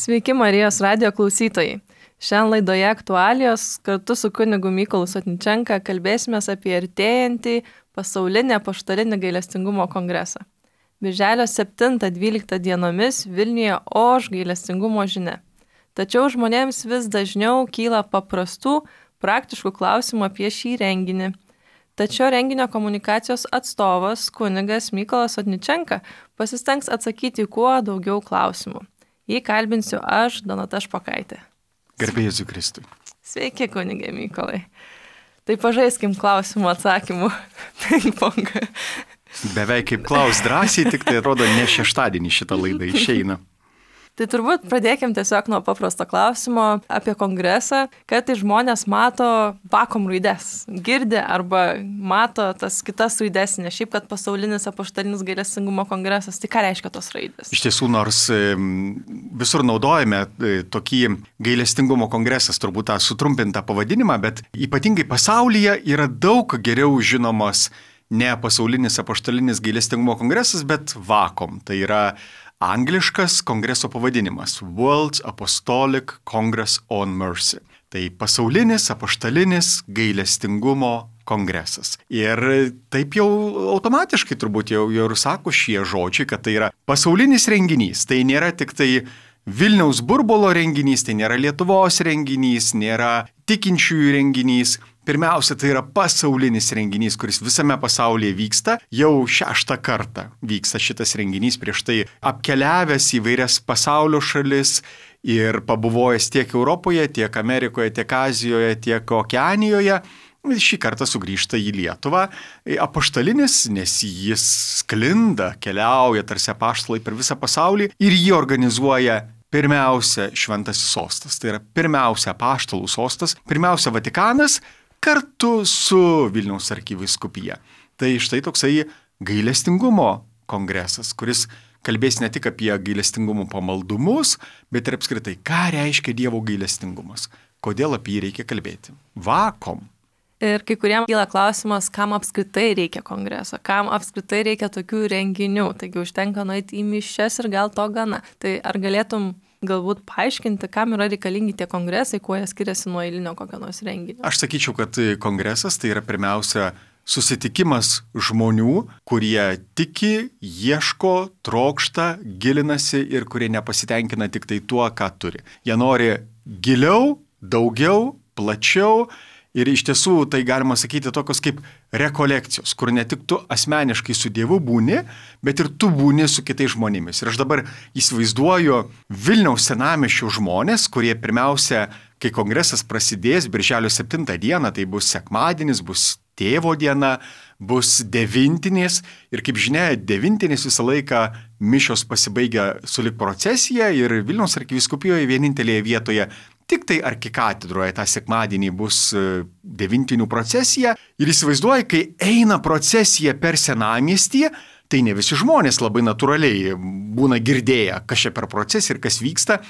Sveiki Marijos radijo klausytojai. Šiandien laidoje aktualijos kartu su kunigu Mykolu Sotničenka kalbėsime apie artėjantį pasaulinį apaštalinį gailestingumo kongresą. Birželio 7-12 dienomis Vilniuje oš gailestingumo žinia. Tačiau žmonėms vis dažniau kyla paprastų, praktiškų klausimų apie šį renginį. Tačiau renginio komunikacijos atstovas kunigas Mykolas Sotničenka pasistengs atsakyti kuo daugiau klausimų. Jį kalbinsiu aš, Donata Špokaitė. Garbė Jėzui Kristui. Sveiki, kunigė Mykolai. Tai pažaiskim klausimų atsakymų ping-pongą. Beveik kaip klaus drąsiai, tik tai atrodo ne šeštadienį šitą laidą išeina. Tai turbūt pradėkim tiesiog nuo paprasto klausimo apie kongresą, kad tai žmonės mato vakom raides, girdi arba mato tas kitas raides, ne šiaip, kad pasaulinis apaštalinis gailestingumo kongresas, tai ką reiškia tos raidės? Iš tiesų, nors visur naudojame tokį gailestingumo kongresas, turbūt tą sutrumpintą pavadinimą, bet ypatingai pasaulyje yra daug geriau žinomas ne pasaulinis apaštalinis gailestingumo kongresas, bet VACOM. Tai yra angliškas kongreso pavadinimas World Apostolic Congress on Mercy. Tai pasaulinis apaštalinis gailestingumo kongresas. Ir taip jau automatiškai turbūt jau ir sako šie žodžiai, kad tai yra pasaulinis renginys. Tai nėra tik tai Vilniaus burbulo renginys, tai nėra Lietuvos renginys, nėra tikinčiųjų renginys. Pirmiausia, tai yra pasaulinis renginys, kuris visame pasaulyje vyksta. Jau 6 kartą vyksta šitas renginys, prieš tai apkeliavęs įvairias pasaulio šalis ir pabuvojęs tiek Europoje, tiek Amerikoje, tiek Azijoje, tiek Okeanijoje. Šį kartą sugrįžta į Lietuvą. Apaštalinis, nes jis sklinda, keliauja tarsi apaštalai per visą pasaulį ir jį organizuoja pirmiausia Šventasis sostas. Tai yra pirmiausia apaštalų sostas, pirmiausia Vatikanas, kartu su Vilniaus arkivyskupija. Tai štai toksai gailestingumo kongresas, kuris kalbės ne tik apie gailestingumo pamaldumus, bet ir apskritai, ką reiškia Dievo gailestingumas, kodėl apie jį reikia kalbėti. VACOM. Ir kai kuriems kyla klausimas, kam apskritai reikia kongreso, kam apskritai reikia tokių renginių, taigi užtenka nueiti į mišias ir gal to gana. Tai ar galėtum galbūt paaiškinti, kam yra reikalingi tie kongresai, kuo jie skiriasi nuo eilinio kokio nors renginio? Aš sakyčiau, kad kongresas tai yra pirmiausia susitikimas žmonių, kurie tiki, ieško, trokšta, gilinasi ir kurie nepasitenkina tik tai tuo, ką turi. Jie nori giliau, daugiau, plačiau. Ir iš tiesų tai galima sakyti tokios kaip rekolekcijos, kur ne tik tu asmeniškai su Dievu būni, bet ir tu būni su kitais žmonėmis. Ir aš dabar įsivaizduoju Vilniaus senamiesčio žmonės, kurie pirmiausia, kai kongresas prasidės birželio 7 dieną, tai bus sekmadienis, bus tėvo diena, bus devintinės. Ir kaip žinia, devintinės visą laiką mišios pasibaigia sulig procesija ir Vilniaus arkivyskupijoje vienintelėje vietoje tik tai arkikatedroje tą sekmadienį bus devintinių procesija ir įsivaizduoji, kai eina procesija per senamiestį, tai ne visi žmonės labai natūraliai būna girdėję, kas čia per procesiją ir kas vyksta.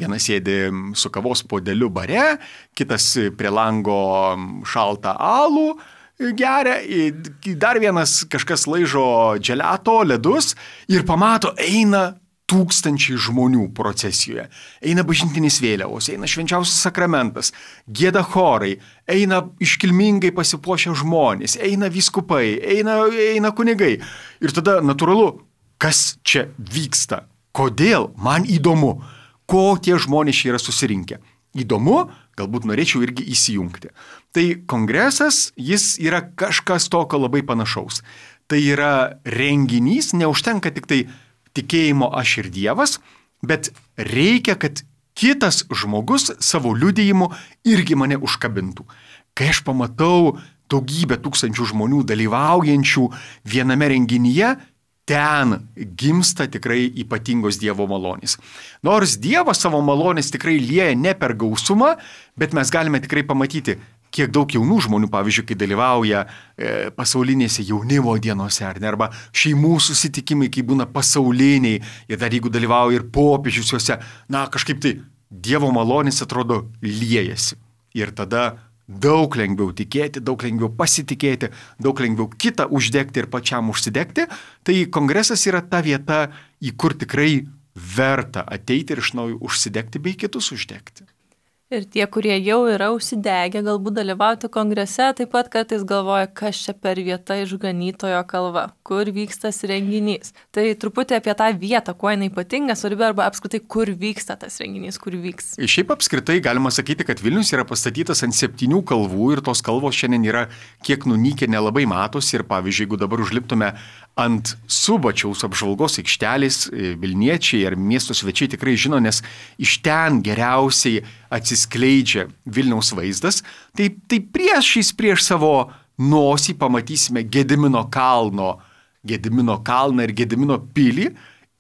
Vienas sėdi su kavos puodeliu bare, kitas prie lango šaltą alų geria, dar vienas kažkas laižo dželato, ledus ir pamato, eina tūkstančiai žmonių procesijoje. Eina bažnytinės vėliavos, eina švenčiausias sakramentas, gieda chorai, eina iškilmingai pasipuošę žmonės, eina vyskupai, eina kunigai. Ir tada natūralu, kas čia vyksta? Kodėl? Man įdomu, ko tie žmonės čia yra susirinkę. Įdomu, galbūt norėčiau irgi įsijungti. Tai kongresas, jis yra kažkas tokio labai panašaus. Tai yra renginys, neužtenka tik tai tikėjimo aš ir Dievas, bet reikia, kad kitas žmogus savo liudijimu irgi mane užkabintų. Kai aš pamatau daugybę tūkstančių žmonių dalyvaujančių viename renginyje, ten gimsta tikrai ypatingos Dievo malonės. Nors Dievas savo malonės tikrai lieja ne per gausumą, bet mes galime tikrai pamatyti, kiek daug jaunų žmonių, pavyzdžiui, kai dalyvauja pasaulinėse jaunimo dienose, arba šeimų susitikimai, kai būna pasauliniai, ir dar jeigu dalyvauja ir popiežius juose, kažkaip tai Dievo malonės atrodo liejasi. Ir tada daug lengviau tikėti, daug lengviau pasitikėti, daug lengviau kitą uždegti ir pačiam užsidegti. Tai kongresas yra ta vieta, į kur tikrai verta ateiti ir iš naujo užsidegti bei kitus uždegti. Ir tie, kurie jau yra užsidegę, galbūt dalyvauti kongrese, taip pat kartais galvoja, kas čia per vieta išganytojo kalva, kur vyksta tas renginys. Tai truputį apie tą vietą, kuo jinai ypatinga, svarbi arba apskritai, kur vyksta tas renginys, kur vyks. Šiaip apskritai galima sakyti, kad Vilnius yra pastatytas ant 7 kalvų ir tos kalvos šiandien yra kiek nunykę, nelabai matosi. Ir pavyzdžiui, jeigu dabar užliptume ant Subačiaus apžvalgos aikštelės, Vilniečiai ar miesto svečiai tikrai žino, nes iš ten geriausiai atsiskleidžia Vilniaus vaizdas, tai prieš savo nosį pamatysime Gedimino kalną ir Gedimino pilį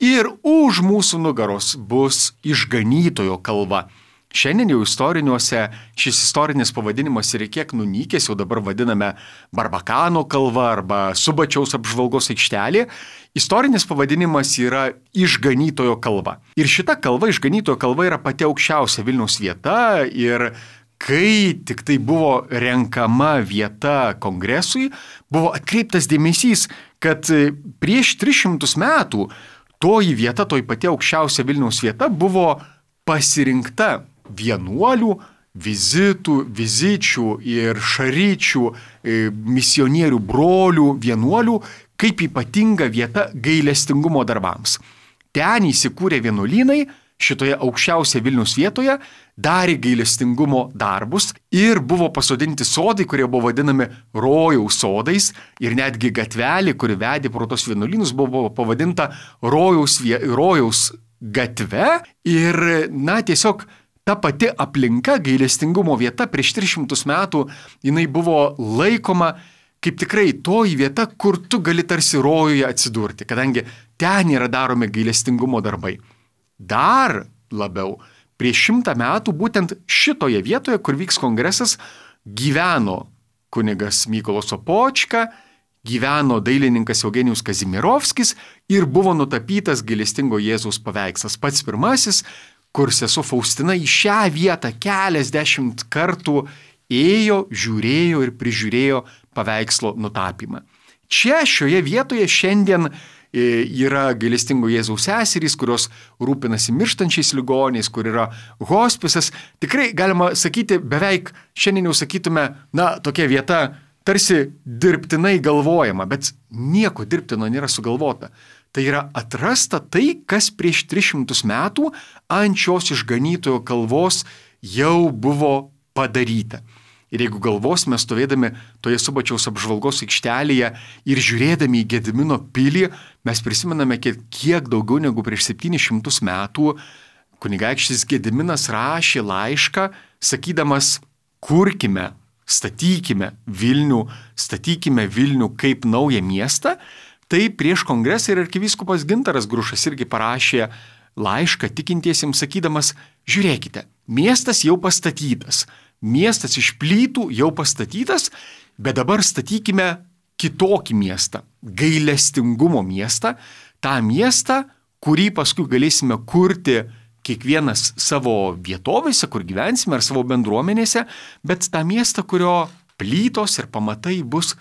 ir už mūsų nugaros bus išganytojo kalva. Šiandien jau istoriniuose šis istorinis pavadinimas yra kiek nunykęs, jau dabar vadiname Barbakano kalva arba Subačiaus apžvalgos aikštelė. Istorinis pavadinimas yra išganytojo kalva. Ir šita kalva, išganytojo kalva, yra pati aukščiausia Vilniaus vieta ir kai tik tai buvo renkama vieta kongresui, buvo atkreiptas dėmesys, kad prieš 300 metų toji vieta, toji pati aukščiausia Vilniaus vieta buvo pasirinkta vienuolių, vizičių ir šaryčių, misionierių brolių, vienuolių, kaip ypatinga vieta gailestingumo darbams. Ten įsikūrė vienuolynai, šitoje aukščiausioje Vilniaus vietoje, darė gailestingumo darbus ir buvo pasodinti sodai, kurie buvo vadinami rojaus sodais ir netgi gatvelė, kuri vedė pro tos vienuolynus, buvo pavadinta rojaus gatve ir, tiesiog ta pati aplinka, gailestingumo vieta prieš 300 metų, jinai buvo laikoma kaip tikrai toji vieta, kur tu gali tarsi rojuje atsidurti, kadangi ten yra daromi gailestingumo darbai. Dar labiau, prieš 100 metų būtent šitoje vietoje, kur vyks kongresas, gyveno kunigas Mykolas Sopočka, gyveno dailininkas Eugenijus Kazimierovskis ir buvo nutapytas gailestingo Jėzaus paveikslas. Pats pirmasis, kur sesuo Faustina į šią vietą keliasdešimt kartų ėjo, žiūrėjo ir prižiūrėjo paveikslo nutapymą. Čia šioje vietoje šiandien yra gailestingo Jėzaus seserys, kurios rūpinasi mirštančiais ligoniais, kur yra hospisas. Tikrai galima sakyti, beveik šiandien jau sakytume, tokia vieta tarsi dirbtinai galvojama, bet nieko dirbtino nėra sugalvota. Tai yra atrasta tai, kas prieš 300 metų ant šios išganytojo kalvos jau buvo padaryta. Ir jeigu galvosime stovėdami toje Subačiaus apžvalgos aikštelėje ir žiūrėdami į Gedimino pilį, mes prisimename, kiek daugiau negu prieš 700 metų kunigaikštis Gediminas rašė laišką, sakydamas, kurkime, statykime Vilnių kaip naują miestą. Tai prieš kongresą ir arkivyskupas Gintaras Grušas irgi parašė laišką tikintiesiems sakydamas, žiūrėkite, miestas jau pastatytas, miestas iš plytų jau pastatytas, bet dabar statykime kitokį miestą, gailestingumo miestą, tą miestą, kurį paskui galėsime kurti kiekvienas savo vietovėse, kur gyvensime, ar savo bendruomenėse, bet tą miestą, kurio plytos ir pamatai bus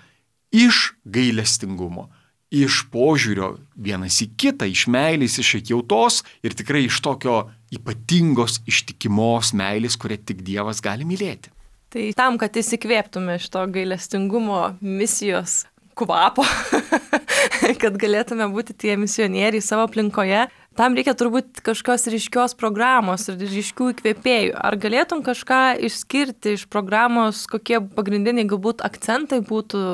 iš gailestingumo, iš požiūrio vienas į kitą, iš meilės, iš atjautos ir tikrai iš tokio ypatingos ištikimos meilės, kurią tik Dievas gali mylėti. Tai tam, kad įsikvėptume šito gailestingumo misijos kvapo, kad galėtume būti tie misionieriai savo aplinkoje, tam reikia turbūt kažkokios ryškios programos ir ryškių įkvėpėjų. Ar galėtum kažką išskirti iš programos, kokie pagrindiniai galbūt akcentai būtų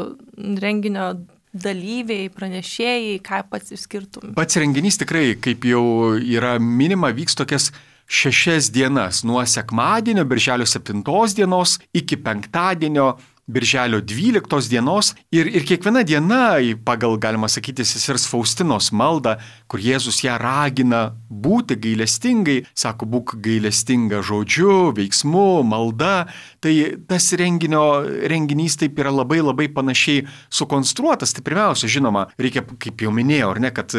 renginio dalyviai, pranešėjai, ką pats išskirtum? Pats renginys tikrai, kaip jau yra minima, vyks tokias 6 dienas, nuo sekmadienio, birželio 7 dienos, iki penktadienio, birželio 12 dienos ir kiekviena diena, pagal, galima sakyti, sesers Faustinos maldą, kur Jėzus ją ragina būti gailestingai, sako, būk gailestinga žodžiu, veiksmu, malda, tai tas renginys taip yra labai labai panašiai sukonstruotas. Tai pirmiausia, žinoma, reikia, kaip jau minėjau, kad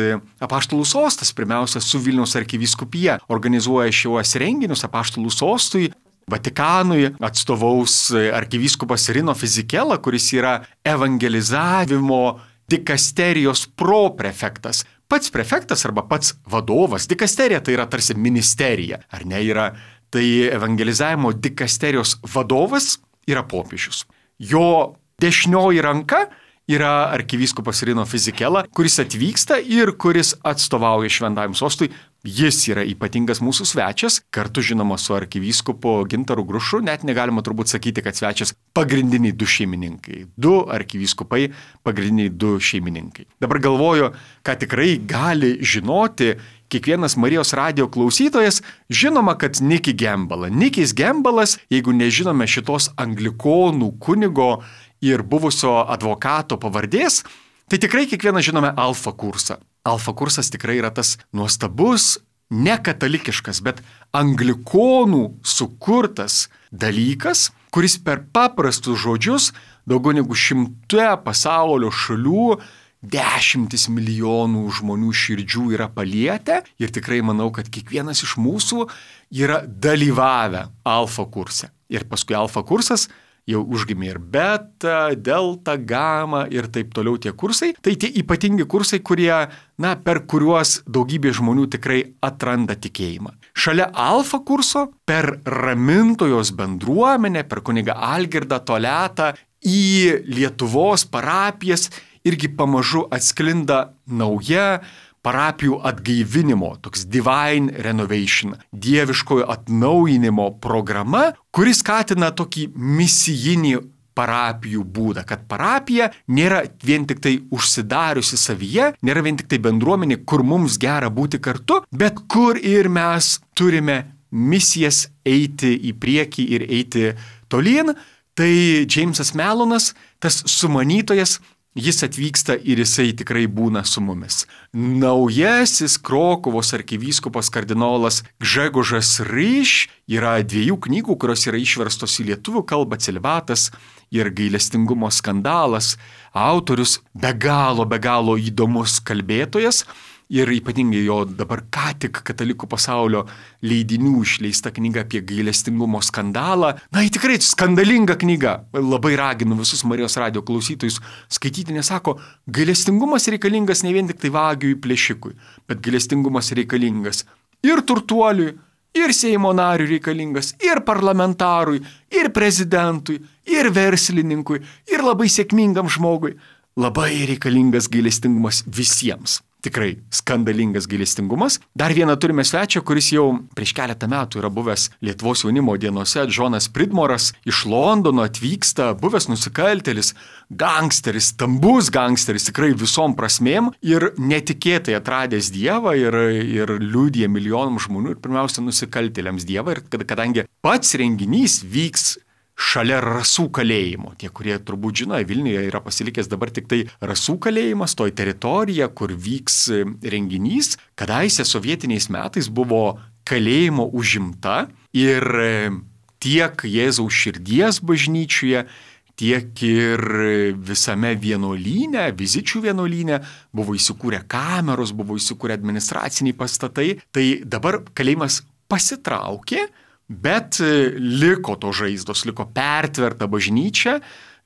Apaštalų sostas pirmiausia su Vilniaus arkivyskupija organizuoja šiuos renginius. Apaštalų sostui Vatikanui atstovaus arkivyskupas Rino Fizikela, kuris yra evangelizavimo dikasterijos proprefektas. pats prefektas arba pats vadovas, dikasterija tai yra tarsi ministerija, ar ne, tai evangelizavimo dikasterijos vadovas yra popiežius. Jo dešinioji ranka yra arkivyskupas Rino Fizikela, kuris atvyksta ir kuris atstovauja Šventajam sostui. Jis yra ypatingas mūsų svečias, kartu žinoma su arkivyskupu Gintaru Grušu, net negalima turbūt sakyti, kad svečias pagrindiniai 2 šeimininkai. 2 arkivyskupai, pagrindiniai 2 šeimininkai. Dabar galvoju, ką tikrai gali žinoti kiekvienas Marijos radijo klausytojas, žinoma, kad Nicky Gambala. Nickys Gambalas, jeigu nežinome šitos anglikonų kunigo ir buvusio advokato pavardės, tai tikrai kiekvieną žinome Alfa kursą. Alfa kursas tikrai yra tas nuostabus, ne katalikiškas, bet anglikonų sukurtas dalykas, kuris per paprastus žodžius daugiau negu 100 pasaulio šalių 10 milijonų žmonių širdžių yra palietę ir tikrai manau, kad kiekvienas iš mūsų yra dalyvavę Alfa kurse. Ir paskui Alfa kursas jau užgimė ir beta, delta, gama ir taip toliau tie kursai. Tai tie ypatingi kursai, kurie, per kuriuos daugybė žmonių tikrai atranda tikėjimą. Šalia Alfa kurso per ramintojos bendruomenę, per kunigą Algirdą Toletą į Lietuvos parapijas irgi pamažu atsklinda nauja parapijų atgaivinimo, toks divine renovation, dieviškojo atnaujinimo programa, kuris skatina tokį misijinį parapijų būdą, kad parapija nėra vien tik tai užsidariusi savyje, nėra vien tik tai bendruomenė, kur mums gera būti kartu, bet kur ir mes turime misijas eiti į priekį ir eiti tolyn. Tai Džeimsas Melonas, tas sumanytojas, jis atvyksta ir jisai tikrai būna su mumis. Naujasis Krokuvos arkivyskupas kardinolas Gžegožas Ryš yra 2 knygų, kurios yra išverstos į lietuvių kalbą, Celibatas ir Gailestingumo skandalas. Autorius be galo įdomus kalbėtojas. Ir ypatingai jo dabar ką tik katalikų pasaulio leidinių išleista knyga apie gailestingumo skandalą. Tikrai skandalinga knyga. Labai raginu visus Marijos radijo klausytojus skaityti, nes sako, gailestingumas reikalingas ne vien tik tai vagiui plėšikui, bet gailestingumas reikalingas ir turtuoliui, ir Seimo nariui reikalingas, ir parlamentarui, ir prezidentui, ir verslininkui, ir labai sėkmingam žmogui. Labai reikalingas gailestingumas visiems. Tikrai skandalingas gailestingumas. Dar vieną turime svečią, kuris jau prieš keletą metų yra buvęs Lietuvos jaunimo dienose. Džonas Pridmoras iš Londono atvyksta, buvęs nusikaltėlis, gangsteris, stambus gangsteris, tikrai visom prasmėm ir netikėtai atradęs Dievą ir liudija milijonam žmonių ir pirmiausia nusikaltėliams Dievą. Ir kadangi pats renginys vyks šalia Rasų kalėjimo. Tie, kurie turbūt žino, Vilniuje yra pasilikęs dabar tik tai Rasų kalėjimas, toj teritorija, kur vyks renginys. Kadaise sovietiniais metais buvo kalėjimo užimta ir tiek Jėzaus širdies bažnyčioje, tiek ir visame vienuolyne, Vizičių vienuolyne buvo įsikūrę kameros, buvo įsikūrę administraciniai pastatai. Tai dabar kalėjimas pasitraukė, bet liko to žaizdos, liko pertverta bažnyčia,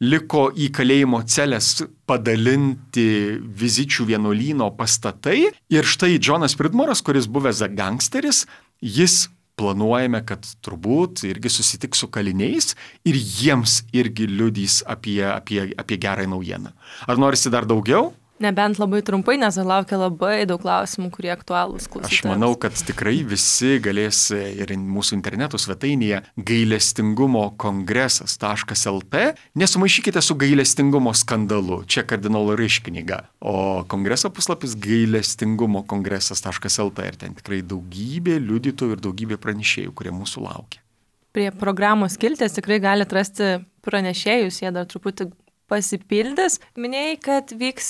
liko į kalėjimo celes padalinti Vizičių vienuolyno pastatai. Ir štai Džonas Pridmoras, kuris buvęs gangsteris, jis planuojame, kad turbūt irgi susitiks su kaliniais ir jiems irgi liudys apie gerą naujieną. Ar norisi dar daugiau? Nebent labai trumpai, nes laukia labai daug klausimų, kurie aktualūs klausytojams. Aš manau, kad tikrai visi galės ir mūsų interneto svetainėje gailestingumo kongresas.lt. Nesumaišykite su gailestingumo skandalu. Čia kardinolo Ryš knyga. O kongreso puslapis gailestingumo kongresas.lt. Ir ten tikrai daugybė liudytojų ir daugybė pranešėjų, kurie mūsų laukia. Prie programos skilties tikrai galite rasti pranešėjus, jie dar truputį pasipildys. Minėjai, kad vyks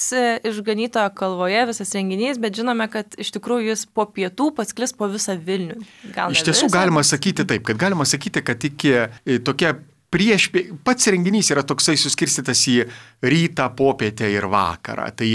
Išganytojo kalvoje visas renginys, bet žinome, kad iš tikrųjų jis po pietų pasklis po visą Vilnių. Iš tiesų galima sakyti taip, kad galima sakyti, kad iki tokia pats renginys yra toksai suskirstytas į rytą, popietę ir vakarą. Tai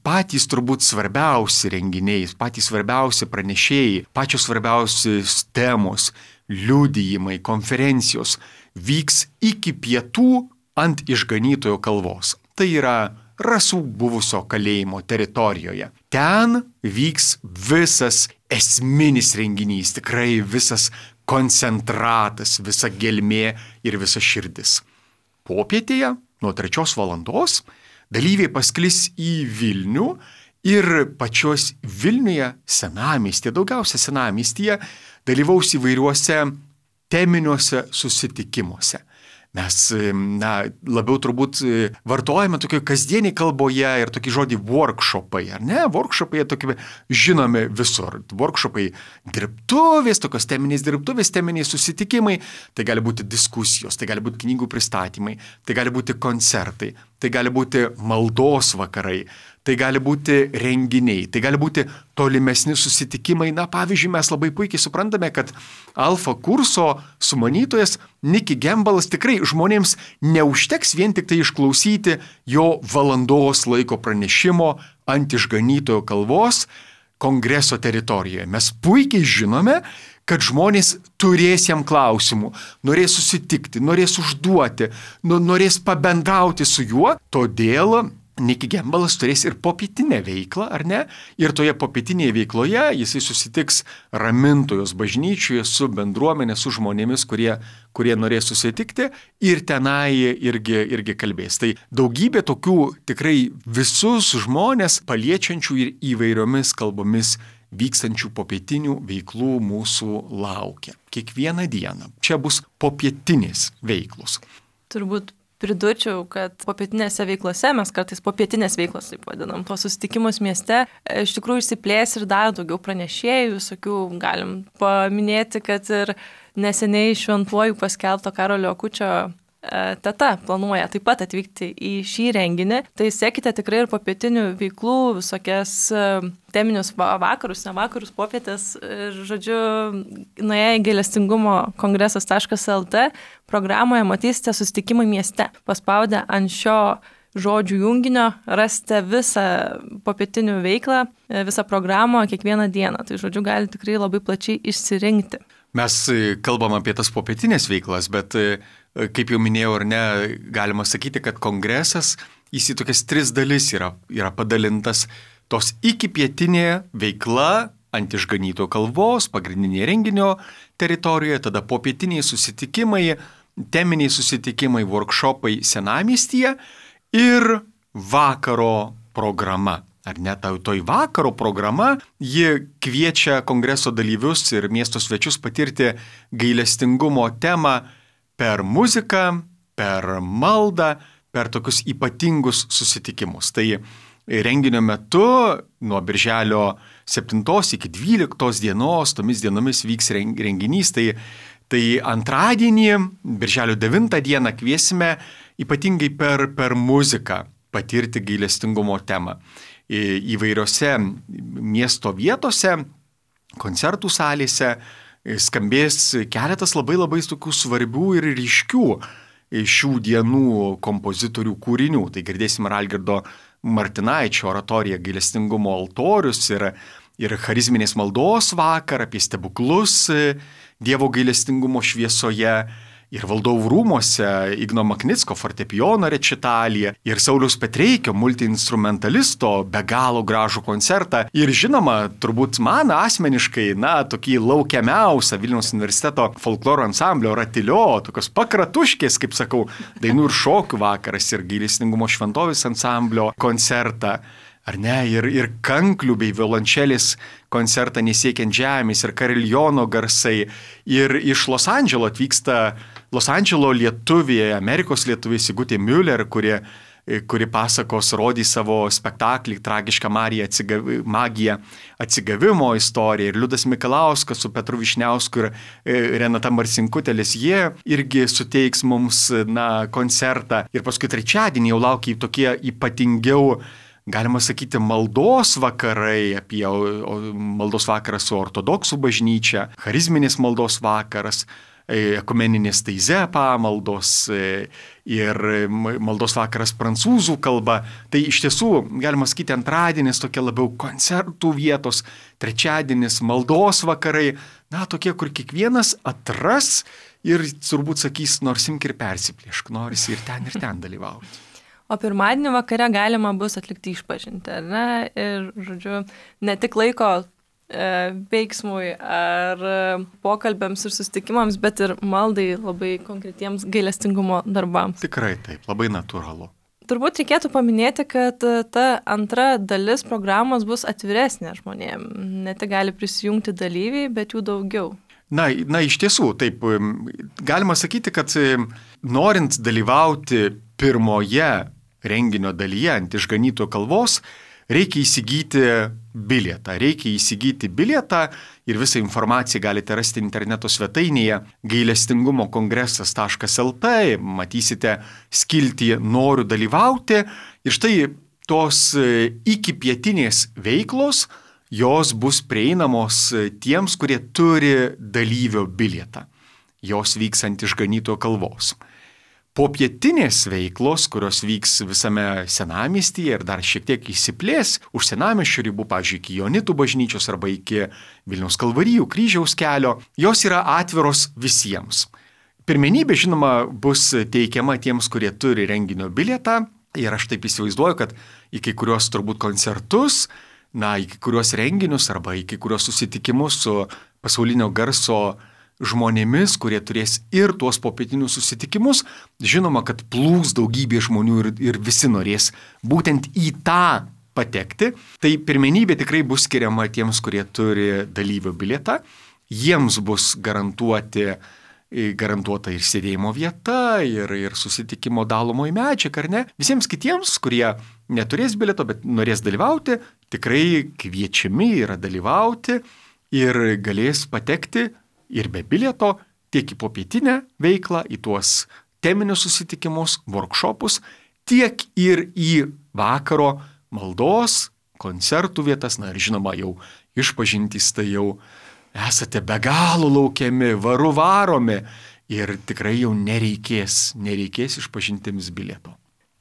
patys turbūt svarbiausi renginiai, patys svarbiausi pranešėjai, pačios svarbiausios temos, liudijimai, konferencijos vyks iki pietų ant Išganytojo kalvos. Tai yra Rasų buvusio kalėjimo teritorijoje. Ten vyks visas esminis renginys, tikrai visas koncentratas, visa gelmė ir visa širdis. Popietėje nuo 3 valandos dalyviai pasklis į Vilnių ir pačios Vilniuje senamiestyje, daugiausia senamiestyje, dalyvaus įvairiuose teminiuose susitikimuose. Mes, labiau turbūt vartojame tokio kasdieniai kalboje ir tokį žodį workshopai, ar ne? Workshopai tokie žinomi visur. Workshopai dirbtuvės, tokios teminės dirbtuvės, teminiai susitikimai, tai gali būti diskusijos, tai gali būti knygų pristatymai, tai gali būti koncertai, tai gali būti maldos vakarai, tai gali būti renginiai, tai gali būti tolimesni susitikimai. Pavyzdžiui, mes labai puikiai suprantame, kad alfa kurso sumanytojas Nicky Gamble'as tikrai žmonėms neužteks vien tik tai išklausyti jo valandos laiko pranešimo ant išganytojo kalvos kongreso teritorijoje. Mes puikiai žinome, kad žmonės turės jam klausimų, norės susitikti, norės užduoti, norės pabendrauti su juo, todėl Nicky Gamble'as turės ir popietinę veiklą, ar ne? Ir toje popietinėje veikloje jisai susitiks Ramintojos bažnyčioje su bendruomenė, su žmonėmis, kurie norės susitikti ir tenai irgi kalbės. Tai daugybė tokių tikrai visus žmonės paliečiančių ir įvairiomis kalbomis vykstančių popietinių veiklų mūsų laukia. Kiekvieną dieną. Čia bus popietinės veiklos. Turbūt pridurčiau, kad popietinėse veiklose, mes kartais popietinės veiklos taip vadinam, tuos susitikimus mieste, iš tikrųjų išsiplės ir dar daugiau pranešėjų, visokių galim paminėti, kad ir neseniai šventuoju paskelbto Karolio Akučio teta planuoja taip pat atvykti į šį renginį, tai sekite tikrai ir popietinių veiklų, visokias teminius vakarus, ne vakarus, popietės ir, žodžiu, nuėję į gailestingumo kongresas.lt programoje matysite susitikimai mieste. Paspaudę ant šio žodžių junginio rasite visą popietinių veiklą, visą programą kiekvieną dieną. Tai, žodžiu, gali tikrai labai plačiai išsirinkti. Mes kalbam apie tas popietinės veiklas, bet kaip jau minėjau ar ne, galima sakyti, kad kongresas jis į tokias 3 dalis yra padalintas. Tos iki pietinė veikla ant išganytojo kalvos, pagrindinė renginio teritorijoje, tada popietiniai susitikimai, teminiai susitikimai, workshopai senamiestyje ir vakaro programa. Ar ne, toj vakaro programa, ji kviečia kongreso dalyvius ir miesto svečius patirti gailestingumo temą per muziką, per maldą, per tokius ypatingus susitikimus. Tai renginio metu nuo birželio 7 iki 12 dienos, tomis dienomis vyks renginys. Tai antradienį, birželio 9 dieną kviesime ypatingai per muziką patirti gailestingumo temą. Įvairiose miesto vietose, koncertų salėse skambės keletas labai tokių svarbių ir ryškių šių dienų kompozitorių kūrinių. Tai girdėsim Algirdo Martinaičio oratoriją Gailestingumo altorius ir charizminės maldos vakarą apie stebuklus Dievo gailestingumo šviesoje. Ir Valdovų rūmuose Igno Maknicko fortepijono rečitalija ir Sauliaus Petreikio multiinstrumentalisto be galo gražų koncertą. Ir žinoma, turbūt man asmeniškai, tokį laukiamiausią Vilniaus universiteto folkloro ansamblio Ratilio, tokios pakratuškės, kaip sakau, dainų ir šokių vakaras ir gailestingumo šventovės ansamblio koncertą. Ar ne, ir kanklių bei violončelės koncertą Nesiekiant žemės ir kariljono garsai. Ir iš Los Andželo atvyksta Los Andželo lietuvė, Amerikos lietuvė Sigutė Müller, kuri pasakos, rodys savo spektaklį Tragiška magija atsigavimo istorija. Ir Liudas Mikalauskas su Petru Višniausku ir Renata Marcinkutelis, jie irgi suteiks mums koncertą. Ir paskui trečiadienį jau laukia tokie ypatingiau, galima sakyti, maldos vakarai, apie maldos vakaras su ortodoksų bažnyčia, charizminės maldos vakaras, ekumeninės taize pamaldos ir maldos vakaras prancūzų kalba. Tai iš tiesų, galima sakyti, antradienis tokia labiau koncertų vietos, trečiadienis maldos vakarai, tokie, kur kiekvienas atras ir turbūt sakys, nors imk ir persiplėšk, norisi ir ten dalyvauti. O pirmadienį vakare galima bus atlikti išpažintį, ar ne? Ir, žodžiu, ne tik laiko veiksmui ar pokalbėms ir susitikimams, bet ir maldai labai konkretiems gailestingumo darbams. Tikrai taip, labai natūralu. Turbūt reikėtų paminėti, kad ta antra dalis programos bus atviresnė žmonėms. Ne tik gali prisijungti dalyviai, bet jų daugiau. Na, iš tiesų, taip, galima sakyti, kad norint dalyvauti pirmoje renginio dalyje ant išganytojo kalvos, reikia įsigyti bilietą. Ir visą informaciją galite rasti interneto svetainėje gailestingumokongresas.lt, matysite skiltį noriu dalyvauti. Ir štai tos ikipietinės veiklos, jos bus prieinamos tiems, kurie turi dalyvio bilietą. Jos vyks ant išganytojo kalvos. Popietinės veiklos, kurios vyks visame senamiestyje ir dar šiek tiek išsiplės už senamiesčio ribų, pavyzdžiui, iki Joanitų bažnyčios arba iki Vilniaus Kalvarijų kryžiaus kelio, jos yra atviros visiems. Pirmenybė, žinoma, bus teikiama tiems, kurie turi renginio bilietą. Ir aš taip įsivaizduoju, kad į kai kurios turbūt koncertus, į kai kurios renginius arba į kai kurios susitikimus su pasaulinio garso žmonėmis, kurie turės ir tuos popietinius susitikimus, žinoma, kad plūs daugybė žmonių ir visi norės būtent į tą patekti. Tai pirmenybė tikrai bus skiriama tiems, kurie turi dalyvio bilietą. Jiems bus garantuota ir sėdėjimo vieta, ir susitikimo dalomoji medžiaga, ar ne? Visiems kitiems, kurie neturės bilieto, bet norės dalyvauti, tikrai kviečiami yra dalyvauti ir galės patekti ir be bilieto tiek į popietinę veiklą, į tuos teminius susitikimus, workshopus, tiek ir į vakaro maldos, koncertų vietas. Na ir žinoma, jau išpažintys, tai jau esate be galo laukiami, varomi ir tikrai jau nereikės išpažintims bilieto.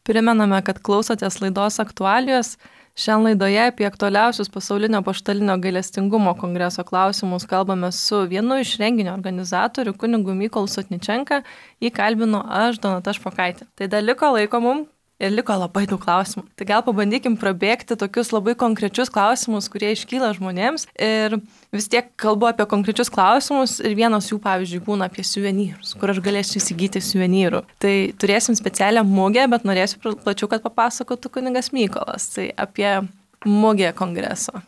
Primename, kad klausotės laidos aktualijos. Šiandien laidoje apie aktualiausius pasaulinio apaštalinio gailestingumo kongreso klausimus kalbame su vienu iš renginio organizatorių, kunigu Mykolu Sotničenka. Jį kalbinu aš, Donata Špokaitė. Tai dar liko laiko mums ir liko labai daug klausimų. Tai gal pabandykim prabėgti tokius labai konkrečius klausimus, kurie iškyla žmonėms. Ir vis tiek kalbu apie konkrečius klausimus ir vienas jų, pavyzdžiui, būna apie suvenyrus, kur aš galėsiu įsigyti suvenyrų. Tai turėsim specialią mugę, bet norėsiu plačiau, kad papasakotų kunigas Mykolas. Tai apie mugę kongreso.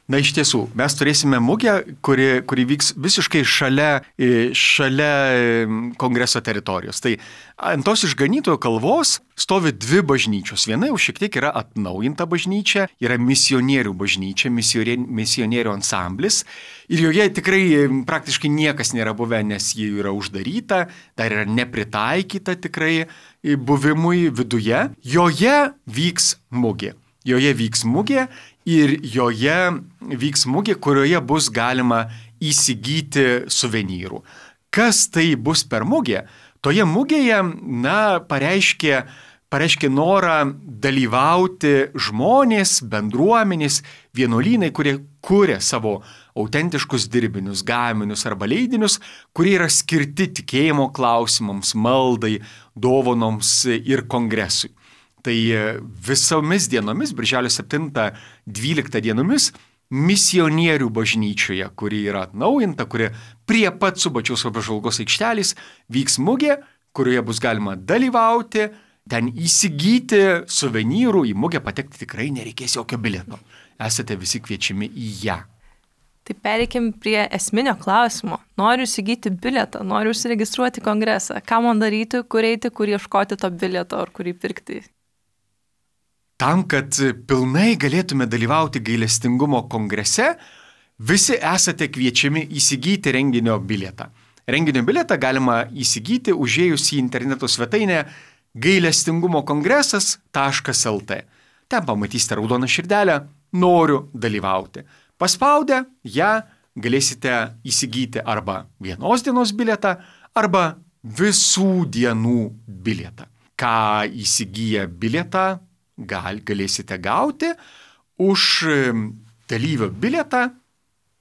Na, iš tiesų, mes turėsime mugę, kuri vyks visiškai šalia kongreso teritorijos. Tai ant tos išganytojo kalvos stovi dvi bažnyčios. Viena jau šiek tiek yra atnaujinta bažnyčia, yra misionierių bažnyčia, misionierių ansamblis. Ir joje tikrai praktiškai niekas nėra buvę, nes ji yra uždaryta, dar yra nepritaikyta tikrai buvimui viduje. Joje vyks mugė. Ir joje vyks mugė, kurioje bus galima įsigyti suvenyrų. Kas tai bus per mugė? Toje mugėje, pareiškė norą dalyvauti žmonės, bendruomenės, vienuolynai, kurie kuria savo autentiškus dirbinius, gaminius arba leidinius, kurie yra skirti tikėjimo klausimams, maldai, dovanoms ir kongresui. Tai visomis dienomis, birželio 7-12 dienomis, misionierių bažnyčioje, kuri yra atnaujinta, kuri prie pat Subačiaus apžvalgos aikštelės, vyks mugė, kurioje bus galima dalyvauti, ten įsigyti suvenyrų, į mugę patekti tikrai nereikės jokio bilieto. Esate visi kviečiami į ją. Tai pereikim prie esminio klausimo. Noriu įsigyti bilietą, noriu užsiregistruoti kongresą. Ką man daryti, kur eiti, kur ieškoti to bilieto ar kurį pirkti? Tam, kad pilnai galėtume dalyvauti gailestingumo kongrese, visi esate kviečiami įsigyti renginio bilietą. Renginio bilietą galima įsigyti užėjus į interneto svetainę gailestingumokongresas.lt. Ten pamatysite raudoną širdelę "Noriu dalyvauti". Paspaudę ją galėsite įsigyti arba vienos dienos bilietą, arba visų dienų bilietą. Ką įsigiję bilietą galėsite gauti už dalyvio bilietą,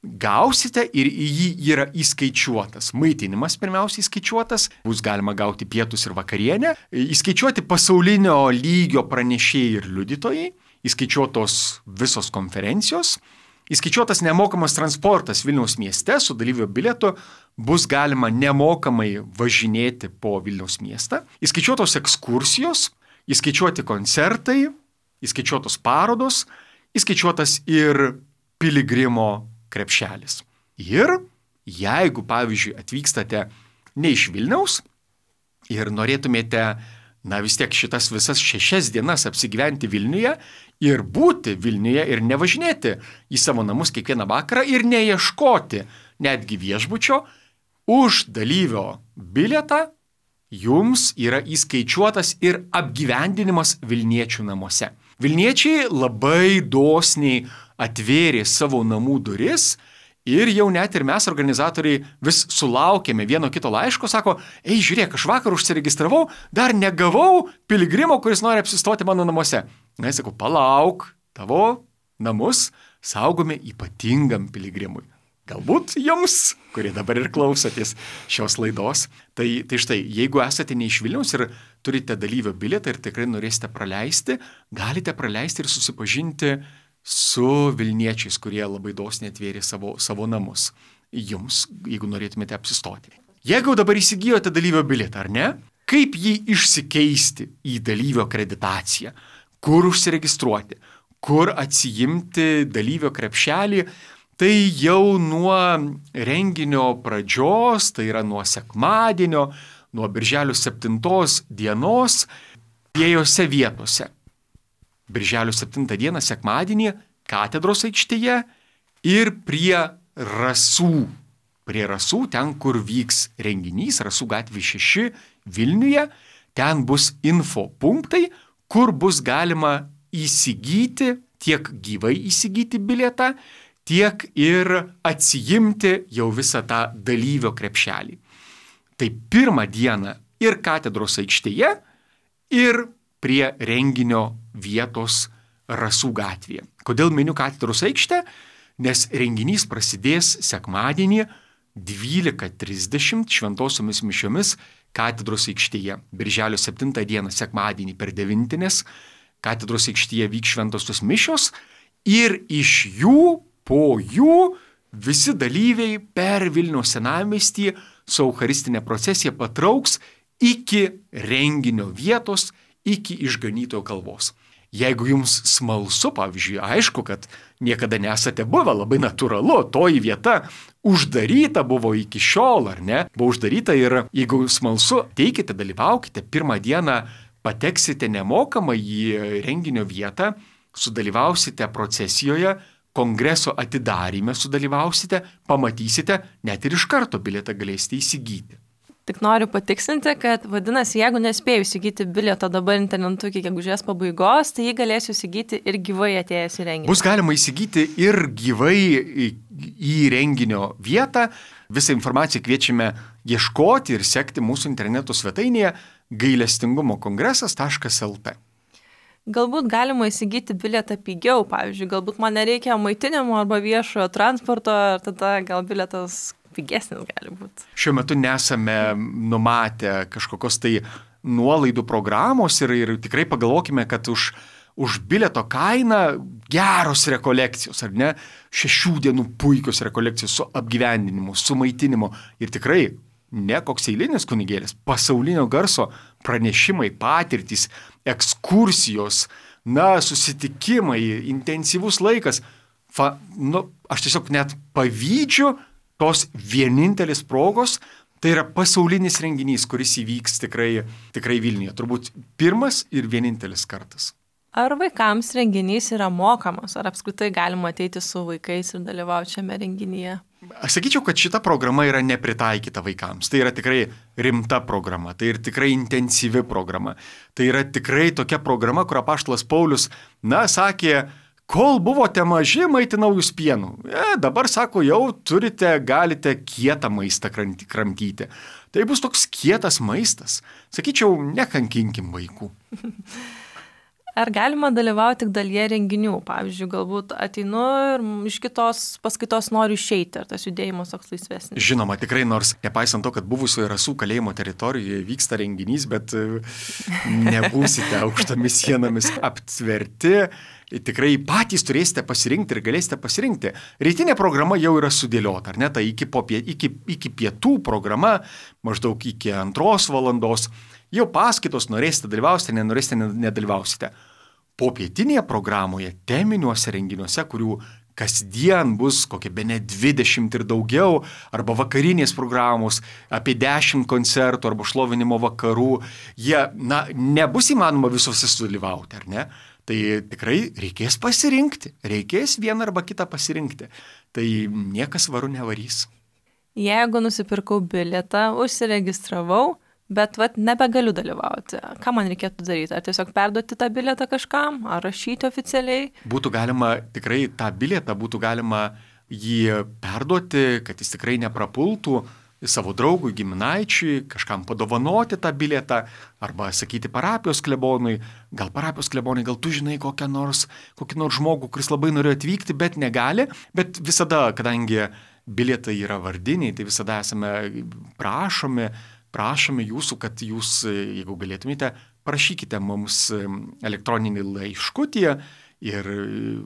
gausite ir į jį yra įskaičiuotas. Maitinimas pirmiausiai įskaičiuotas, bus galima gauti pietus ir vakarienę, įskaičiuoti pasaulinio lygio pranešėjai ir liudytojai, įskaičiuotos visos konferencijos, įskaičiuotas nemokamas transportas Vilniaus mieste su dalyvio bilietu, bus galima nemokamai važinėti po Vilniaus miestą, įskaičiuotos ekskursijos, įskaičiuoti koncertai, įskaičiuotos parodos, įskaičiuotas ir piligrimo krepšelis. Ir jeigu, pavyzdžiui, atvykstate ne iš Vilniaus ir norėtumėte, vis tiek šitas visas 6 dienas apsigyventi Vilniuje ir būti Vilniuje ir nevažinėti į savo namus kiekvieną vakarą ir neieškoti netgi viešbučio, už dalyvio bilietą jums yra įskaičiuotas ir apgyvendinimas Vilniečių namuose. Vilniečiai labai dosniai atvėrė savo namų duris ir jau net ir mes, organizatoriai, vis sulaukėme vieno kito laiško, sako, ei, žiūrėk, aš vakar užsiregistravau, dar negavau piligrimo, kuris nori apsistoti mano namuose. Na, jis sako, palauk, tavo namus saugome ypatingam piligrimui. Galbūt jums, kurie dabar ir klausotės šios laidos. Tai štai, jeigu esate ne iš Vilniaus ir turite dalyvio bilietą ir tikrai norėsite praleisti, galite praleisti ir susipažinti su Vilniečiais, kurie labai dosniai atvėrė savo namus jums, jeigu norėtumėte apsistoti. Jeigu dabar įsigijote dalyvio bilietą, ar ne? Kaip jį išsikeisti į dalyvio akreditaciją? Kur užsiregistruoti? Kur atsiimti dalyvio krepšelį? Tai jau nuo renginio pradžios, tai yra nuo sekmadienio, nuo birželio 7 dienos, dviejose vietose. Birželio 7 dieną, sekmadienį, katedros aikštėje ir prie Rasų. Prie Rasų, ten, kur vyks renginys, Rasų gatvė 6 Vilniuje, ten bus info punktai, kur bus galima įsigyti, tiek gyvai įsigyti bilietą, tiek ir atsiimti jau visą tą dalyvio krepšelį. Tai pirmą dieną ir katedros aikštėje, ir prie renginio vietos Rasų gatvėje. Kodėl miniu katedros aikštę? Nes renginys prasidės sekmadienį 12:30 šventosiomis mišiomis katedros aikštėje. Birželio 7 dieną sekmadienį per 9 katedros aikštėje vyks šventosios mišios ir iš jų po jų visi dalyviai per Vilniaus senamiestį su eucharistinė procesija patrauks iki renginio vietos, iki išganytojo kalvos. Jeigu jums smalsu, pavyzdžiui, aišku, kad niekada nesate buvę, labai natūralu, toji vieta uždaryta buvo iki šiol, ar ne? Buvo uždaryta ir jeigu smalsu, teikite, dalyvaukite, pirmą dieną pateksite nemokamai į renginio vietą, sudalyvausite procesijoje, kongreso atidaryme sudalyvausite, pamatysite, net ir iš karto bilietą galėsite įsigyti. Tik noriu patikslinti, kad vadinasi, jeigu nespėjau įsigyti bilieto dabar internetu iki gegužės pabaigos, tai jį galėsiu įsigyti ir gyvai atėjęs į renginį. Bus galima įsigyti ir gyvai į renginio vietą. Visą informaciją kviečiame ieškoti ir sekti mūsų interneto svetainėje gailestingumokongresas.lt. Galbūt galima įsigyti bilietą pigiau, pavyzdžiui, galbūt man nereikia maitinimo arba viešojo transporto, ir tada gal bilietas pigesnis gali būti. Šiuo metu nesame numatę kažkokios tai nuolaidų programos ir tikrai pagalvokime, kad už bilieto kainą geros rekolekcijos, ar ne? 6 dienų puikios rekolekcijos su apgyvendinimu, su maitinimu ir tikrai ne koks eilinis kunigėlis, pasaulinio garso pranešimai, patirtys, ekskursijos, susitikimai, intensyvus laikas. Aš tiesiog net pavydžiu tos vienintelis progos, tai yra pasaulinis renginys, kuris įvyks tikrai Vilniuje. Turbūt pirmas ir vienintelis kartas. Ar vaikams renginys yra mokamas, ar apskritai galima ateiti su vaikais ir dalyvauti šiame renginyje? Aš sakyčiau, kad šita programa yra nepritaikyta vaikams. Tai yra tikrai rimta programa, tai yra tikrai intensyvi programa. Tai yra tikrai tokia programa, kur apaštalas Paulius, sakė, kol buvote maži, maitinau jūs pienu. Dabar, sako, jau galite kietą maistą kramtyti. Tai bus toks kietas maistas. Sakyčiau, nekankinkim vaikų. Ar galima dalyvauti tik dalyje renginių? Pavyzdžiui, galbūt ateinu ir iš kitos paskaitos noriu išeiti, ar tas judėjimas toks laisvesnis? Žinoma, tikrai, nors nepaisant to, kad buvusioje Rasų kalėjimo teritorijoje vyksta renginys, bet nebūsite aukštomis sienomis aptverti, tikrai patys turėsite pasirinkti ir galėsite pasirinkti. Rytinė programa jau yra sudėliota, ar ne? Tai iki pietų programa, maždaug iki 2 valandos. Jau paskaitos, norėsite dalyvausite, nenorėsite nedalyvausite. Popietinėje programoje, teminiuose renginiuose, kurių kasdien bus kokie bene 20 ir daugiau, arba vakarinės programos, apie 10 koncertų arba šlovinimo vakarų, jie, nebus įmanoma visose sudalyvauti, ar ne? Tai tikrai reikės pasirinkti, reikės vieną arba kitą pasirinkti. Tai niekas varu nevarys. Jeigu nusipirkau bilietą, užsiregistravau, bet nebegaliu dalyvauti. Ką man reikėtų daryti? Ar tiesiog perduoti tą bilietą kažkam, ar rašyti oficialiai? Būtų galima tikrai tą bilietą, būtų galima jį perduoti, kad jis tikrai neprapultų savo draugui, giminaičiui, kažkam padovanoti tą bilietą, arba sakyti parapijos klebonui, gal tu žinai kokį nors žmogų, kuris labai norėjo atvykti, bet negali, bet visada, kadangi bilietai yra vardiniai, tai visada esame prašome jūsų, kad jūs, jeigu galėtumėte, parašykite mums elektroninį laiškutį ir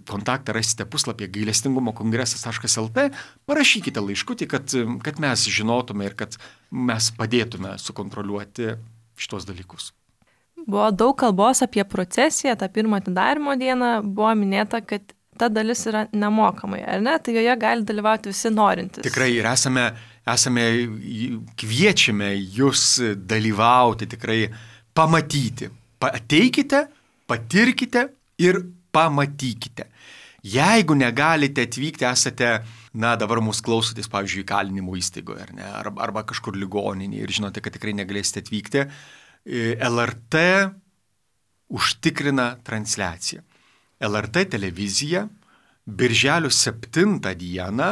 kontaktą rasite puslapyje gailestingumokongresas.lt, parašykite laiškutį, kad mes žinotume ir kad mes padėtume sukontroliuoti šitos dalykus. Buvo daug kalbos apie procesiją, tą pirmą atidarymo dieną, buvo minėta, kad ta dalis yra nemokamai, ar ne? Tai joje gali dalyvauti visi norintys. Tikrai ir kviečiame jūs dalyvauti, tikrai pamatyti. Ateikite, patirkite ir pamatykite. Jeigu negalite atvykti, esate, dabar mūsų klausotės, pavyzdžiui, įkalinimo įstaigoje, ar ne, arba kažkur ligoninėje ir žinote, kad tikrai negalėsite atvykti, LRT užtikrina transliaciją. LRT televizija birželio 7 dieną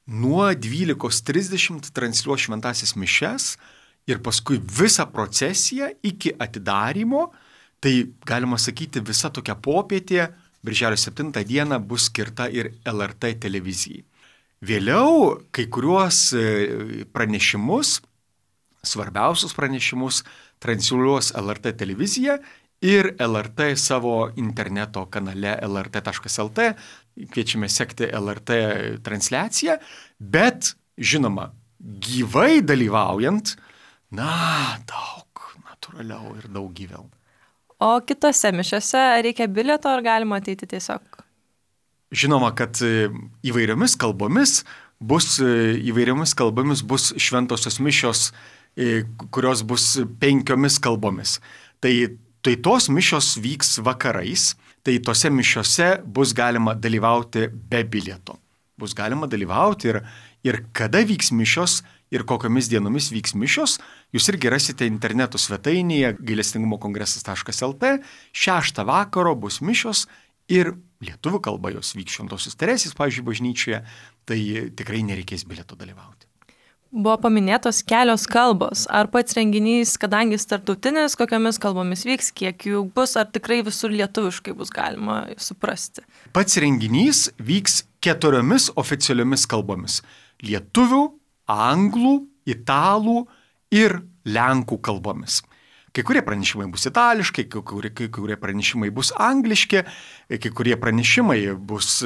nuo 12:30 transliuos šventąsias mišias ir paskui visą procesiją iki atidarymo, tai galima sakyti visa tokia popietė, birželio 7 dieną bus skirta ir LRT televizijai. Vėliau kai kuriuos pranešimus, svarbiausius pranešimus transliuos LRT televizija ir LRT savo interneto kanale lrt.lt, kviečiame sekti LRT transliaciją, bet, žinoma, gyvai dalyvaujant, daug natūraliau ir daug gyviau. O kitose mišiose reikia bilieto ar galima ateiti tiesiog? Žinoma, kad įvairiomis kalbomis bus šventosios mišios, kurios bus 5 kalbomis. Tai tos mišios vyks vakarais, tai tose mišiose bus galima dalyvauti be bilieto. Bus galima dalyvauti ir kada vyks mišios ir kokiamis dienomis vyks mišios, jūs irgi rasite interneto svetainėje gailestingumokongresas.lt, 6 vakaro bus mišios ir lietuvių kalba jos vyks Šventosios Teresės, pavyzdžiui, bažnyčioje, tai tikrai nereikės bilieto dalyvauti. Buvo paminėtos kelios kalbos. Ar pats renginys, kadangi jis tarptautinis, kokiamis kalbomis vyks, kiek jų bus, ar tikrai visur lietuviškai bus galima suprasti? Pats renginys vyks 4 oficialiomis kalbomis. Lietuvių, anglų, italų ir lenkų kalbomis. Kai kurie pranešimai bus itališkai, kai kurie pranešimai bus angliški, kai kurie pranešimai bus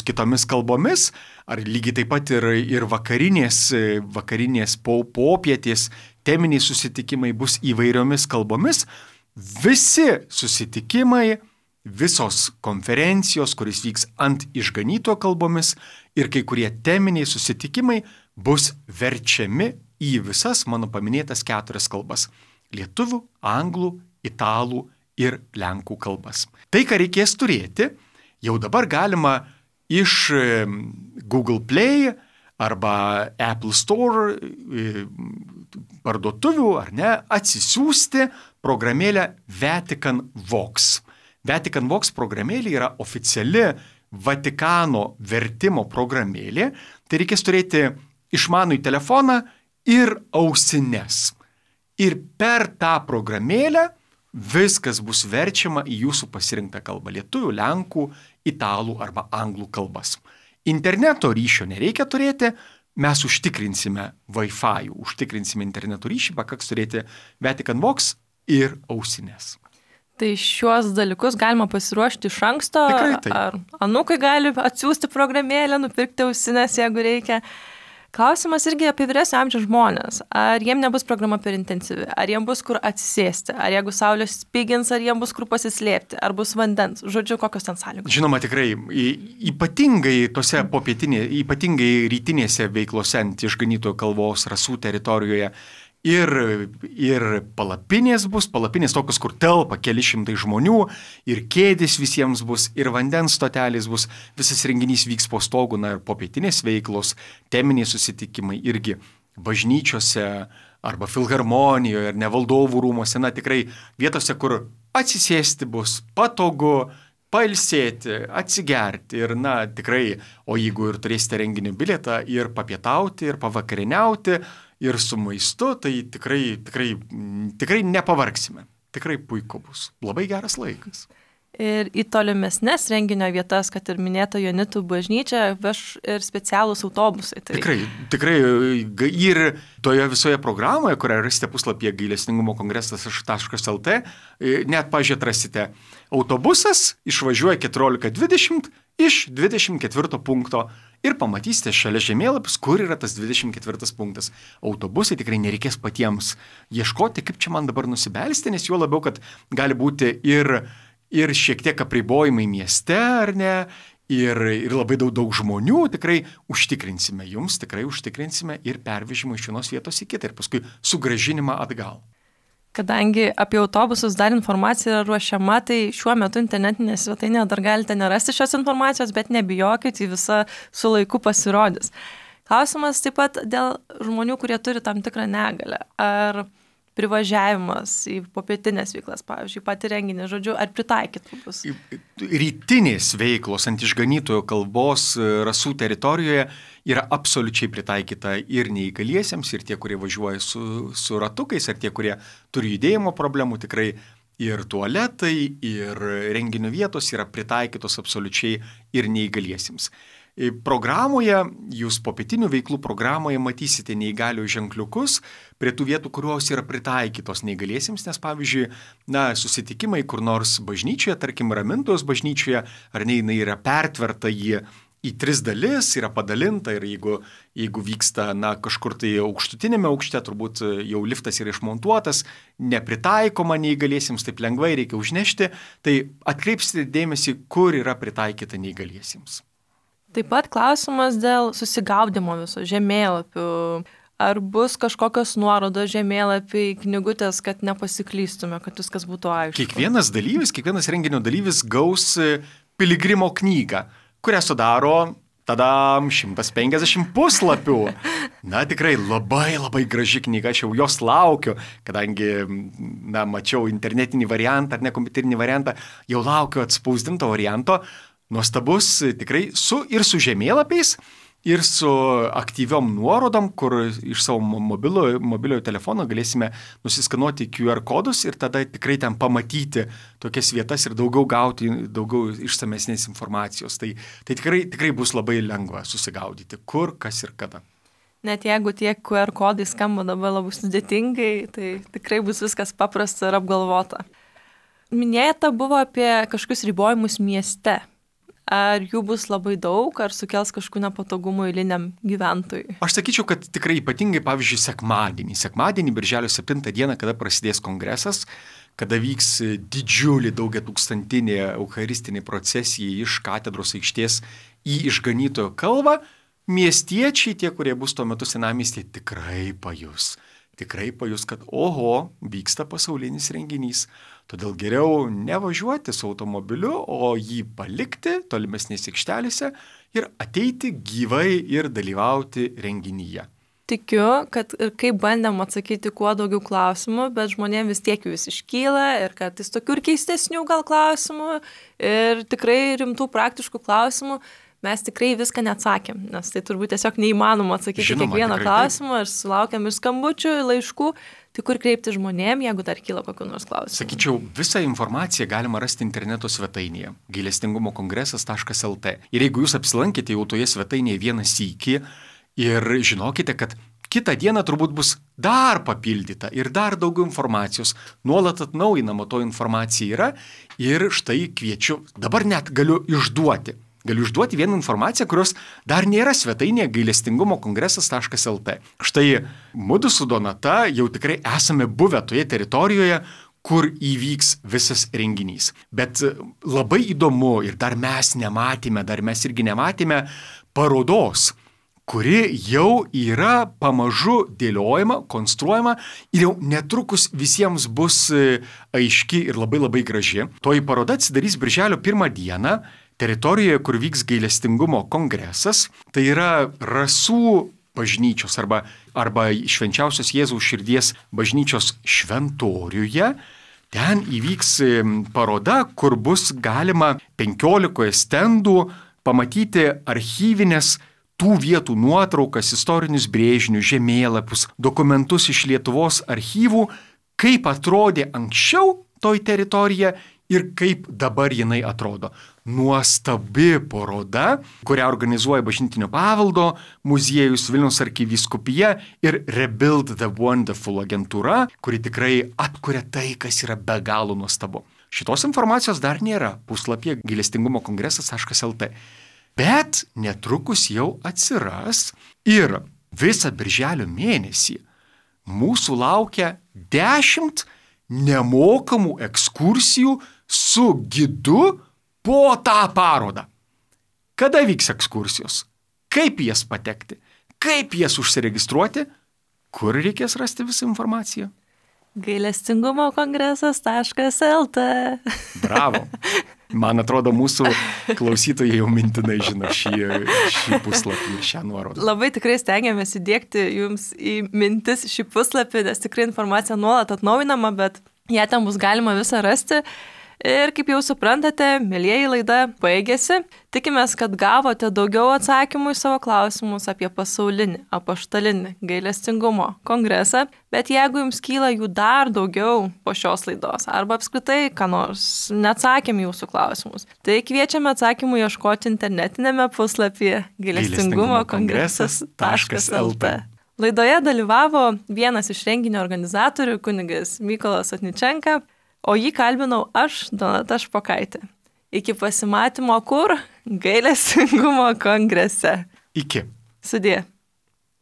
kitomis kalbomis, ar lygiai taip pat ir vakarinės popietės teminiai susitikimai bus įvairiomis kalbomis. Visi susitikimai, visos konferencijos, kuris vyks ant išganyto kalbomis ir kai kurie teminiai susitikimai bus verčiami į visas mano paminėtas 4 kalbas. Lietuvių, anglų, italų ir lenkų kalbas. Tai, ką reikės turėti, jau dabar galima iš Google Play arba Apple Store parduotuvių, ar ne, atsisiųsti programėlę Vatican Vox. Vatican Vox programėlė yra oficiali Vatikano vertimo programėlė. Tai reikės turėti išmanųjį telefoną ir ausines. Ir per tą programėlę viskas bus verčiama į jūsų pasirinktą kalbą - lietuvių, lenkų, italų arba anglų kalbas. Interneto ryšio nereikia turėti, mes užtikrinsime Wi-Fi, užtikrinsime interneto ryšį, pakaks turėti Vatican Box ir ausinės. Tai šiuos dalykus galima pasiruošti iš anksto, ar anūkai gali atsiųsti programėlę, nupirkti ausinės, jeigu reikia. Klausimas irgi apie vyresnio amžiaus žmonės. Ar jiem nebus programa per intensyvi, ar jiem bus kur atsisėsti, ar jeigu saulės spigins, ar jiem bus kur pasislėpti, ar bus vandens, žodžiu, kokios ten sąlygos. Žinoma, tikrai, ypatingai tose ypatingai rytinėse veiklose ant išganytojo kalvos rasų teritorijoje ir palapinės bus, palapinės tokios, kur telpa keli šimtai žmonių, ir kėdės visiems bus, ir vandens stotelės bus, visas renginys vyks po stogu, na ir popietinės veiklos, teminiai susitikimai irgi bažnyčiose arba filharmonijoje, ar ne valdovų rūmose, na tikrai vietose, kur atsisėsti bus patogu, pailsėti, atsigerti ir, na tikrai, o jeigu ir turėsite renginio bilietą, ir papietauti, ir pavakarieniauti, ir su maistu, tai tikrai nepavargsime. Tikrai puiku bus. Labai geras laikas. Ir į tolimesnes renginio vietas, kad ir minėta Jonitų bažnyčia, veš ir specialūs autobusai. Tai... Tikrai ir toje visoje programoje, kurią rasite puslapyje gailestingumo kongresas.lt, net pažiūrėt rasite autobusas, išvažiuoja 14:20 iš 24 punkto ir pamatysite šalia žemėlapis, kur yra tas 24 punktas. Autobusai tikrai nereikės patiems ieškoti, kaip čia man dabar nusibelsti, nes juo labiau, kad gali būti ir šiek tiek apribojimai mieste, ar ne, ir labai daug žmonių, tikrai užtikrinsime ir pervežimą iš vienos vietos į kitą ir paskui sugrąžinimą atgal. Kadangi apie autobusus dar informacija yra ruošiama, tai šiuo metu internetinėje svetainėje dar galite nerasti šios informacijos, bet nebijokit, į visą su laiku pasirodys. Klausimas taip pat dėl žmonių, kurie turi tam tikrą negalę. Ar privažiavimas į popietinės veiklas, pavyzdžiui, pati renginį, žodžiu, ar pritaikytų bus? Rytinės veiklos ant išganytojo kalbos rasų teritorijoje yra absoliučiai pritaikyta ir neįgaliesiems, ir tie, kurie važiuoja su ratukais, ir tie, kurie turi judėjimo problemų, tikrai ir tualetai, ir renginio vietos yra pritaikytos absoliučiai ir neįgaliesiems. Programoje, jūs popietinių veiklų programoje matysite neįgalių ženkliukus prie tų vietų, kurios yra pritaikytos neįgaliesiems, nes pavyzdžiui, susitikimai kur nors bažnyčioje, tarkim Ramintojos bažnyčioje, ar ne, jinai yra pertverta į 3 dalis, yra padalinta ir jeigu vyksta kažkur tai aukštutinėme aukšte, turbūt jau liftas yra išmontuotas, nepritaikoma neįgaliesiems, taip lengvai reikia užnešti, tai atkreipsite dėmesį, kur yra pritaikyta neįgaliesiems. Taip pat klausimas dėl susigaudimo viso žemėlapių. Ar bus kažkokios nuorodos žemėlapiai, knygutės, kad nepasiklystume, kad viskas būtų aišku? Kiekvienas renginio dalyvis gaus piligrimo knygą, kurią sudaro tada 150 puslapių. Na, tikrai labai graži knyga, aš jau jos laukiu, kadangi, mačiau internetinį variantą ar ne kompiuterinį variantą, jau laukiu atspausdinto varianto. Nuostabus tikrai su žemėlapiais ir su aktyviom nuorodom, kur iš savo mobiliojo telefono galėsime nusiskanuoti QR kodus ir tada tikrai ten pamatyti tokias vietas ir gauti daugiau išsamesnės informacijos. Tai tikrai bus labai lengva susigaudyti, kur, kas ir kada. Net jeigu tie QR kodai skamba dabar labai sudėtingai, tai tikrai bus viskas paprasta ir apgalvota. Minėta buvo apie kažkokius ribojimus mieste. Ar jų bus labai daug, ar sukels kažkokių nepatogumų eiliniam gyventojui? Aš sakyčiau, kad tikrai ypatingai, pavyzdžiui, sekmadienį, birželio 7 dieną, kada prasidės kongresas, kada vyks didžiulį daugiatūkstantinė eucharistinė procesija iš katedros aikštės į išganytojo kalvą, miestiečiai, tie, kurie bus tuo metu senamiestyje, tikrai pajus, kad vyksta pasaulinis renginys. Todėl geriau nevažiuoti su automobiliu, o jį palikti tolimesnėse aikštelėse ir ateiti gyvai ir dalyvauti renginyje. Tikiu, kad ir kaip bandėm atsakyti kuo daugiau klausimų, bet žmonėms vis tiek vis iškyla ir kad jis tokių ir keistesnių gal klausimų ir tikrai rimtų praktiškų klausimų. Mes tikrai viską neatsakėm, nes tai turbūt tiesiog neįmanoma atsakyti kiekvieną klausimą ir sulaukiam ir skambučių, ir laiškų. Tai kur kreipti žmonėm, jeigu dar kyla kokių nors klausimų? Sakyčiau, visą informaciją galima rasti interneto svetainėje gailestingumokongresas.lt. Ir jeigu jūs apsilankėte jau toje svetainėje vieną sykį ir žinokite, kad kitą dieną turbūt bus dar papildyta ir dar daugiau informacijos, nuolat atnaujinama to informacija yra ir štai kviečiu, dabar net galiu išduoti vieną informaciją, kurios dar nėra svetainėje gailestingumokongresas.lt. Štai mudu su Donata jau tikrai esame buvę toje teritorijoje, kur įvyks visas renginys. Bet labai įdomu ir dar mes irgi nematėme parodos, kuri jau yra pamažu dėliojama, konstruojama ir jau netrukus visiems bus aiški ir labai labai graži. Toji paroda atsidarys birželio 1 dieną teritorijoje, kur vyks gailestingumo kongresas. Tai yra Rasų bažnyčios arba Švenčiausios Jėzaus širdies bažnyčios šventoriuje. Ten įvyks paroda, kur bus galima 15 stendų pamatyti archyvinės tų vietų nuotraukas, istorinius brėžinius, žemėlapius, dokumentus iš Lietuvos archyvų, kaip atrodė anksčiau toj teritorija ir kaip dabar jinai atrodo. Nuostabi paroda, kurią organizuoja Bažnytinio paveldo muziejus, Vilniaus arkivyskupija ir Rebuild the Wonderful agentūra, kuri tikrai atkuria tai, kas yra be galo nuostabu. Šitos informacijos dar nėra puslapyje gailestingumokongresas.lt. Bet netrukus jau atsiras ir visą birželio mėnesį mūsų laukia 10 nemokamų ekskursijų su gidu po tą parodą. Kada vyks ekskursijos? Kaip jas patekti? Kaip jas užsiregistruoti? Kur reikės rasti visą informaciją? gailestingumokongresas.lt. Bravo. Man atrodo, mūsų klausytojai jau mintinai žino šį puslapį ir šią nuorodą. Labai tikrai stengiamės įdiegti jums į mintis šį puslapį, nes tikrai informacija nuolat atnaujinama, bet ją ten bus galima visą rasti. Ir kaip jau suprantate, mielieji, laida baigėsi. Tikimės, kad gavote daugiau atsakymų į savo klausimus apie pasaulinį, apaštalinį gailestingumo kongresą. Bet jeigu jums kyla jų dar daugiau po šios laidos, arba apskritai, ką nors neatsakėm jūsų klausimus, tai kviečiame atsakymų ieškoti internetinėme puslapyje gailestingumokongresas.lt. Laidoje dalyvavo vienas iš renginio organizatorių, kunigas Mykolas Otničenka, o jį kalbinau aš, Donata Špokaitė. Iki pasimatymo kur? Gailestingumo kongrese. Iki. Sudie.